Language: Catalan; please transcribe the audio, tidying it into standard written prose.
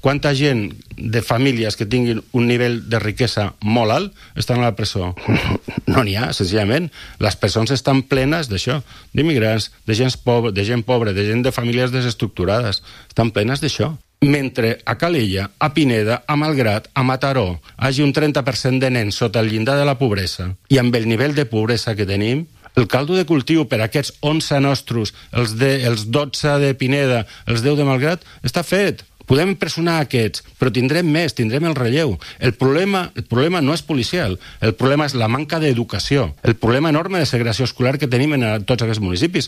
Quanta gent de famílies que tinguin un nivell de riquesa molt alt estan a la presó? No n'hi ha, senzillament. Les presons estan plenes d'això, d'immigrants, de gent pobra, de gent de famílies desestructurades. Estan plenes d'això. Mentre a Calella, a Pineda, a Malgrat, a Mataró, hagi un 30% de nens sota el llindar de la pobresa, i amb el nivell de pobresa que tenim, el caldo de cultiu per a aquests 11 nostres, els 12 de Pineda, els 10 de Malgrat, està fet. Podem impressionar aquests, però tindrem més, tindrem el relleu. El problema no és policial, el problema és la manca d'educació, el problema enorme de segregació escolar que tenim en tots aquests municipis.